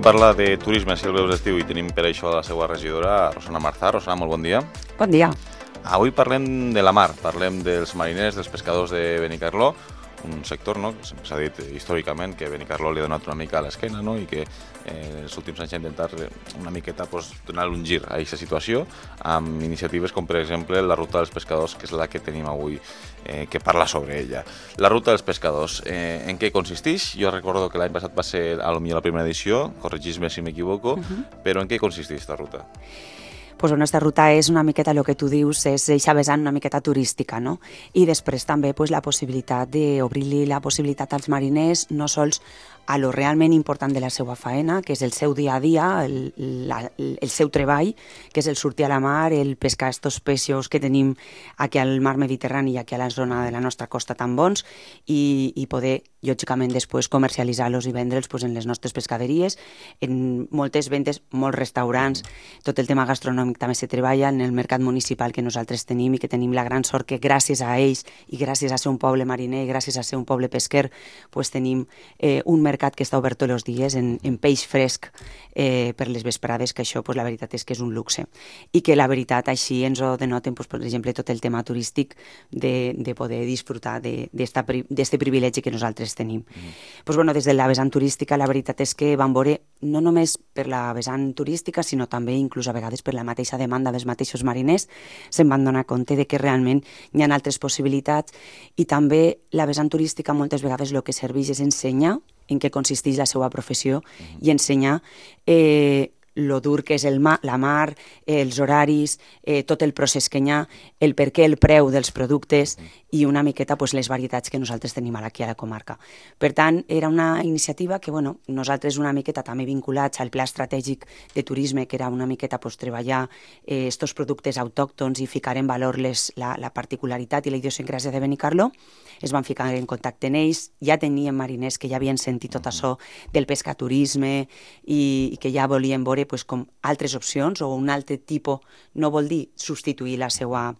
Cal parlar de turisme si el veus d'estiu i tenim per això la seva regidora, Rosana Marzà. Rosana, molt bon dia. Bon dia. Avui parlem de la mar, parlem dels mariners, dels pescadors de Benicarló, un sector que sempre s'ha dit històricament que Benicarló li ha donat una mica a l'esquena i que els últims anys ha intentat una miqueta donar un gir a aquesta situació amb iniciatives com per exemple la Ruta dels Pescadors, que és la que tenim avui que parla sobre ella. La Ruta dels Pescadors, en què consisteix? Jo recordo que l'any passat va ser potser la primera edició, corregis-me si m'equivoco, però en què consisteix aquesta ruta? Pues la nostra ruta és una miqueta el que tu dius, és eixa vessant una miqueta turística, no? I després també la possibilitat d'obrir-li la possibilitat als mariners, no sols a lo realment important de la seva faena, que és el seu dia a dia, el seu treball, que és el sortir a la mar, el pescar estos peixos que tenim aquí al mar Mediterrani i aquí a la zona de la nostra costa tan bons, i poder, lògicament, després comercialitzar-los i vendre'ls en les nostres pescaderies, en moltes vendes, molts restaurants, tot el tema gastronòmic també se treballa en el mercat municipal que nosaltres tenim i que tenim la gran sort que gràcies a ells i gràcies a ser un poble mariner i gràcies a ser un poble pesquer, tenim un mercat que està obert tots els dies en peix fresc per les vesprades, que això la veritat és que és un luxe i que la veritat així ens ho denoten, per exemple, tot el tema turístic de poder disfrutar d'aquest privilegi que nosaltres tenim. Des de la vessant turística la veritat és que vam veure no només per la vessant turística sinó també inclús a vegades per la mateixa demanda dels mateixos mariners se'n van donar compte de que realment hi ha altres possibilitats i també la vessant turística moltes vegades el que serveix és ensenyar en què consisteix la seva professió i ensenyar lo dur que és la mar, els horaris, tot el procés que hi ha, el per què el preu dels productes i una miqueta les varietats que nosaltres tenim aquí a la comarca. Per tant, era una iniciativa que nosaltres una miqueta també vinculats al pla estratègic de turisme, que era una miqueta treballar estos productes autòctons i ficar en valor la particularitat i la idiosincràsia de Benicarló, es van ficar en contacte amb ells, ja tenien mariners que ja havien sentit tot això del pescaturisme i que ja volien veure com altres opcions o un altre tipus, no vol dir substituir la seva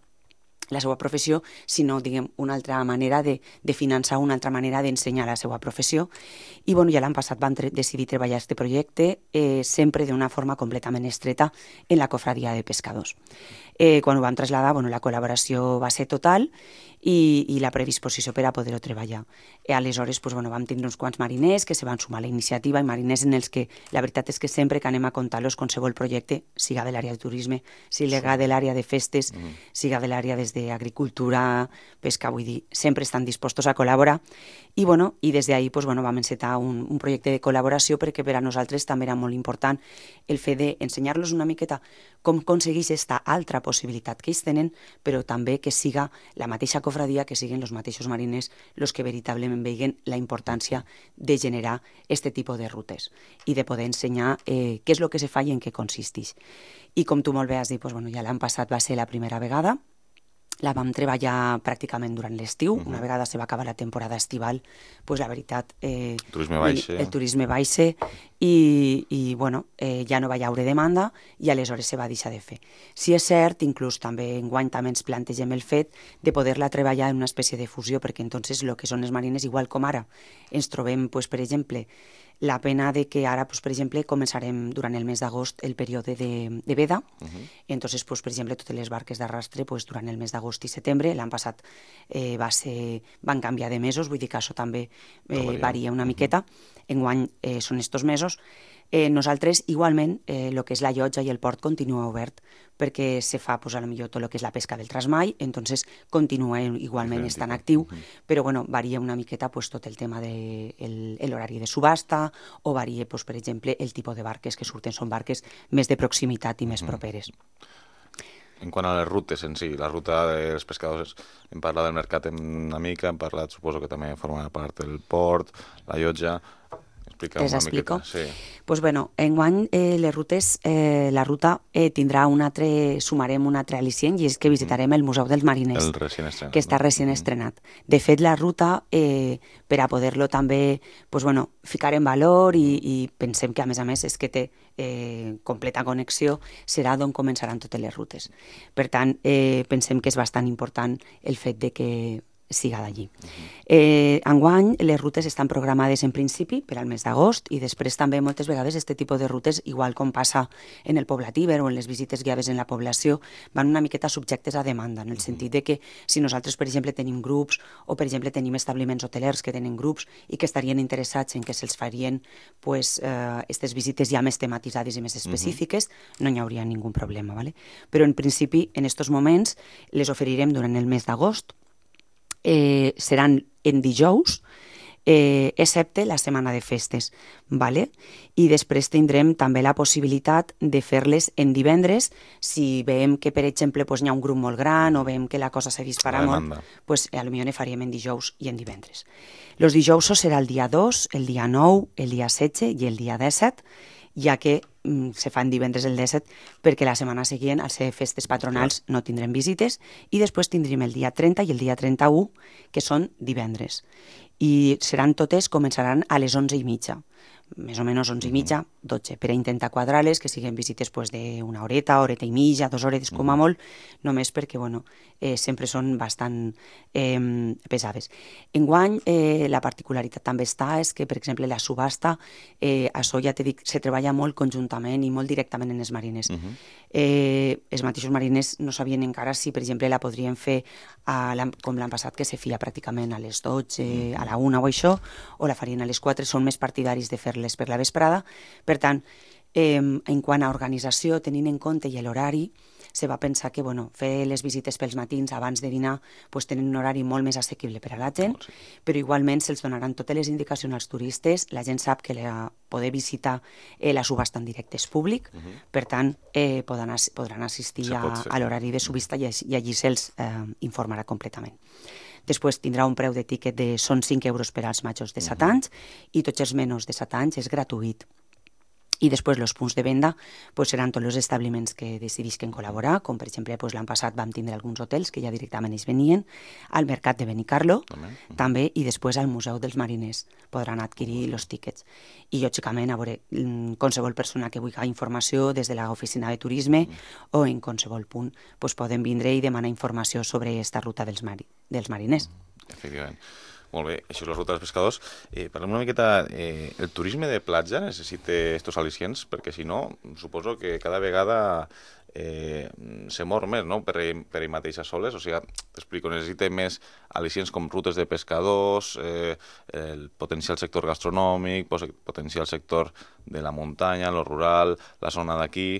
professió, sinó, una altra manera de finançar, una altra manera d'ensenyar la seva professió. I ja l'any passat vam decidir treballar aquest projecte sempre d'una forma completament estreta en la cofradia de pescadors. Quan ho vam traslladar, la col·laboració va ser total i la predisposició per a poder-ho treballar. Aleshores, vam tindre uns quants mariners que se van sumar a la iniciativa i mariners en els que la veritat és que sempre que anem a comptar-los qualsevol projecte, siga de l'àrea de turisme, siga de l'àrea de festes, siga de l'àrea des d'agricultura, pesca, vull dir, sempre estan dispostos a col·laborar i des d'ahir vam encetar un projecte de col·laboració perquè per a nosaltres també era molt important el fet d'ensenyar-los una miqueta com aconsegueix aquesta altra possibilitat que ells tenen, però també que siga la mateixa cofradia, que siguin els mateixos mariners els que veritablement vegin la importància de generar aquest tipus de rutes i de poder ensenyar què és el que se fa i en què consisteix. I com tu molt bé has dit, ja l'any passat va ser la primera vegada, la vam treballar pràcticament durant l'estiu, una vegada se va acabar la temporada estival, la veritat, el turisme baixa i ja no va haure demanda i aleshores se va deixar de fer. Si és cert, inclús també enguany també ens plantegem el fet de poder-la treballar en una espècie de fusió, perquè entonces el que són els marines, igual com ara, ens trobem, per exemple, la pena de que ara, per exemple, començarem durant el mes d'agost el període de veda. Entonces, per exemple, totes les barques d'arrastre durant el mes d'agost i setembre, l'any passat van canviar de mesos, vull dir que això també varia una miqueta. Enguany són estos mesos. Nosaltres, igualment, el que és la llotja i el port continua obert perquè se fa, potser tot el que és la pesca del trasmai, entonces continua igualment estant actiu, però varia una miqueta tot el tema de l'horari de subhasta o varia, per exemple, el tipus de barques que surten, són barques més de proximitat i més properes. En quant a les rutes en si, la ruta dels pescadors, hem parlat del mercat una mica, hem parlat, suposo que també forma part del port, la llotja. Les explico? Sí. Enguany les rutes, la ruta tindrà sumarem un altre al·licient i és que visitarem el Museu dels Mariners, que està recient estrenat. De fet, la ruta, per a poder-lo també ficar en valor i pensem que a més és que té completa connexió, serà d'on començaran totes les rutes. Per tant, pensem que és bastant important el fet de que siga d'allí. Enguany, les rutes estan programades en principi per al mes d'agost i després també moltes vegades aquest tipus de rutes, igual com passa en el poblatíber o en les visites guiades en la població, van una miqueta subjectes a demanda, en el sentit de que si nosaltres, per exemple, tenim grups o, per exemple, tenim establiments hotelers que tenen grups i que estarien interessats en que se'ls farien aquestes visites ja més tematitzades i més específiques, no hi hauria ningú problema. ¿Vale? Però en principi, en aquests moments, les oferirem durant el mes d'agost, seran en dijous, excepte la setmana de festes, ¿vale? I després tindrem també la possibilitat de fer-les en divendres si veiem que, per exemple, hi ha un grup molt gran o veiem que la cosa se dispara molt, pues, potser ne faríem en dijous i en divendres. Els dijous serà el dia 2, el dia 9, el dia 16 i el dia 17, ja que se fan divendres el 17 perquè la setmana següent, al ser festes patronals, no tindrem visites i després tindrem el dia 30 i el dia 31, que són divendres. I seran totes, començaran a les 11:30, més o menys 11:30, 12, per a intentar quadrar-les, que siguin visites d'una horeta i mitja, 2 hores com a molt, només perquè sempre són bastant pesades. Enguany, la particularitat també és que, per exemple, la subhasta, això ja t'he dit, se treballa molt conjuntament i molt directament en els mariners. Els mateixos mariners no sabien encara si, per exemple, la podrien fer com l'any passat, que se feia pràcticament a les 12, a la 1 o això, o la farien a les 4, són més partidaris de fer-les per la vesprada. Per tant, en quant a organització, tenint en compte i l'horari, se va pensar que fer les visites pels matins abans de dinar tenen un horari molt més assequible per a la gent, però igualment se'ls donaran totes les indicacions als turistes. La gent sap que poder visitar la subhasta en directe és públic, per tant podran assistir a l'horari de subhasta i allí se'ls informarà completament. Després tindrà un preu de tíquet són 5 euros per als majors de 7 anys i tots els menors de 7 anys és gratuït. I després els punts de venda seran tots els establiments que decidisquen col·laborar, com per exemple l'any passat vam tindre alguns hotels que ja directament ells venien, al mercat de Benicarlo també, i després al Museu dels Mariners podran adquirir els tíquets. I lògicament, a veure, qualsevol persona que vulgui informació des de l'oficina de turisme o en qualsevol punt poden vindre i demanar informació sobre aquesta ruta dels mariners. Efectivament. Molt bé, això és la ruta dels pescadors. Parlem una miqueta, el turisme de platja necessita estos al·licients, perquè si no, suposo que cada vegada se mor més, no?, per ell mateixa soles. O sigui, t'explico, necessita més al·licients com rutes de pescadors, el potencial sector gastronòmic, potencial sector de la muntanya, el rural, la zona d'aquí.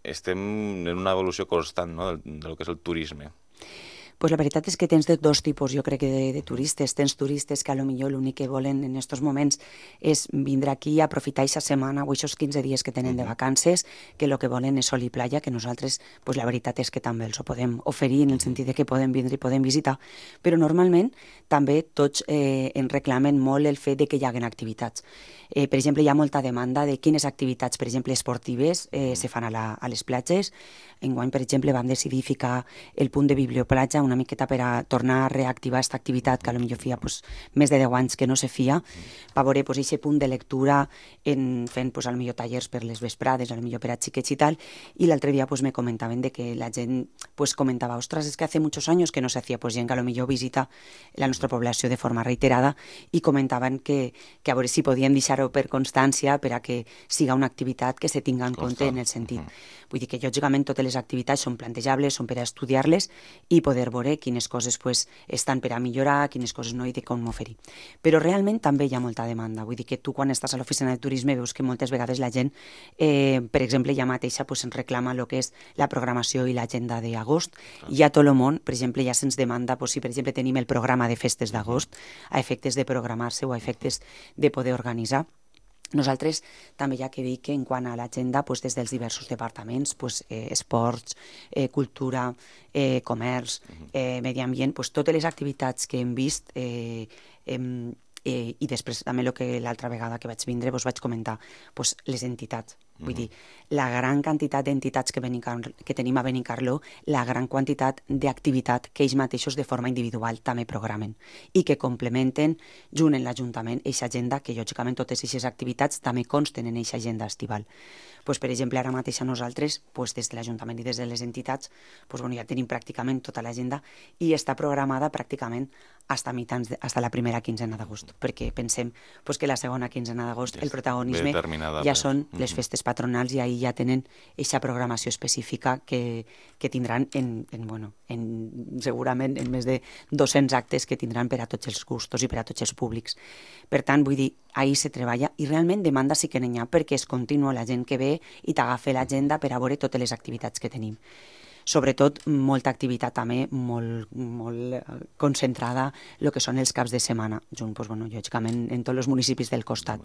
Estem en una evolució constant, no?, del que és el turisme. Pues la veritat és que tens dos tipus, jo crec, de turistes. Tens turistes que potser l'únic que volen en aquests moments és vindre aquí a aprofitar aquesta setmana o aquests 15 dies que tenen de vacances, que el que volen és sol i playa, que nosaltres, la veritat és que també els ho podem oferir en el sentit de que poden vindre i poden visitar, però normalment també tots en reclamen molt el fet de que hi hagin activitats. Per exemple, hi ha molta demanda de quines activitats, per exemple, esportives se fan a les platges. Enguany, per exemple, vam decidir ficar el punt de biblioplatja una miqueta per a tornar a reactivar aquesta activitat que potser feia més de 10 anys que no se feia, per veure aquest punt de lectura fent potser tallers per les vesprades, potser per a xiquets i tal, i l'altre dia me comentaven que la gent comentava, ostres, és que hace muchos años que no se hacía, gent que potser visita la nostra població de forma reiterada, i comentaven que a veure si podien deixar-ho per constància per a que siga una activitat que se tinga en compte en el sentit. Vull dir que, lògicament, totes les activitats són plantejables, són per a estudiar-les i poder veure quines coses estan per a millorar, quines coses no i de com oferir. Però realment també hi ha molta demanda. Vull dir que tu, quan estàs a l'oficina de turisme, veus que moltes vegades la gent, per exemple, ja mateixa ens reclama el que és la programació i l'agenda d'agost. I a tot el món, per exemple, ja se'ns demanda si, per exemple, tenim el programa de festes d'agost a efectes de programar-se o a efectes de poder organitzar. Nosaltres també hi ha que dir que en quant a l'agenda, des dels diversos departaments, esports, cultura, comerç, medi ambient, totes les activitats que hem vist i després també l'altra vegada que vaig vindre vaig comentar les entitats. Vull dir, la gran quantitat d'entitats que tenim a Benicarló, la gran quantitat d'activitat que ells mateixos de forma individual també programen i que complementen junt en l'Ajuntament aquesta agenda, que lògicament totes aquestes activitats també consten en aquesta agenda estival. Pues, per exemple, ara mateix a nosaltres, pues, des de l'Ajuntament i des de les entitats, pues, bueno, ja tenim pràcticament tota l'agenda i està programada pràcticament hasta la primera quinzena d'agost, perquè pensem pues, que la segona quinzena d'agost el protagonisme ja són les festes patronals i ahir ja tenen aquesta programació específica que tindran segurament en més de 200 actes que tindran per a tots els gustos i per a tots els públics. Per tant, vull dir, ahir se treballa i realment demanda sí que n'hi ha perquè és continu la gent que ve i t'agafa l'agenda per a veure totes les activitats que tenim. Sobretot, molta activitat també, molt concentrada el que són els caps de setmana, lògicament en tots els municipis del costat.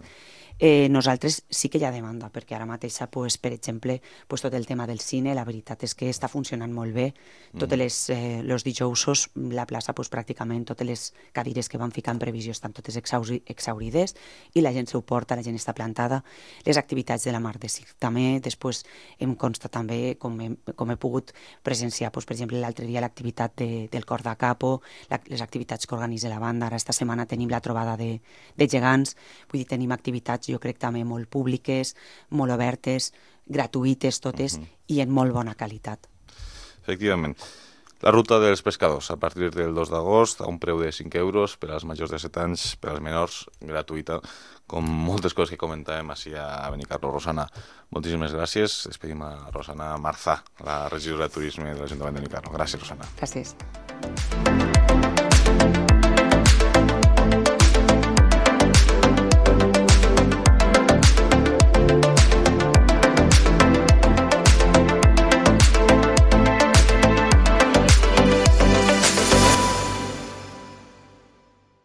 Nosaltres sí que hi ha demanda, perquè ara mateix, per exemple, tot el tema del cine, la veritat és que està funcionant molt bé. Tots els dijous, la plaça, pràcticament totes les cadires que van ficar en previsió estan totes exhaurides i la gent s'ho porta, la gent està plantada. Les activitats de la Mar de Sig també, després em consta també, com he pogut presenciar, per exemple, l'altre dia l'activitat del Cor de Capo, les activitats que organitza la banda. Ara esta setmana tenim la trobada de gegants, vull dir, tenim activitats, jo crec, també molt públiques, molt obertes, gratuïtes totes i en molt bona qualitat. Efectivament. La ruta dels pescadors, a partir del 2 d'agost, a un preu de 5 euros, per als majors de 7 anys, per als menors, gratuïta, com moltes coses que comentàvem així a Benicarló. Rosana, moltíssimes gràcies. Despedim a Rosana Marzà, la regidora de Turisme de l'Ajuntament de Benicarló. Gràcies, Rosana. Gràcies.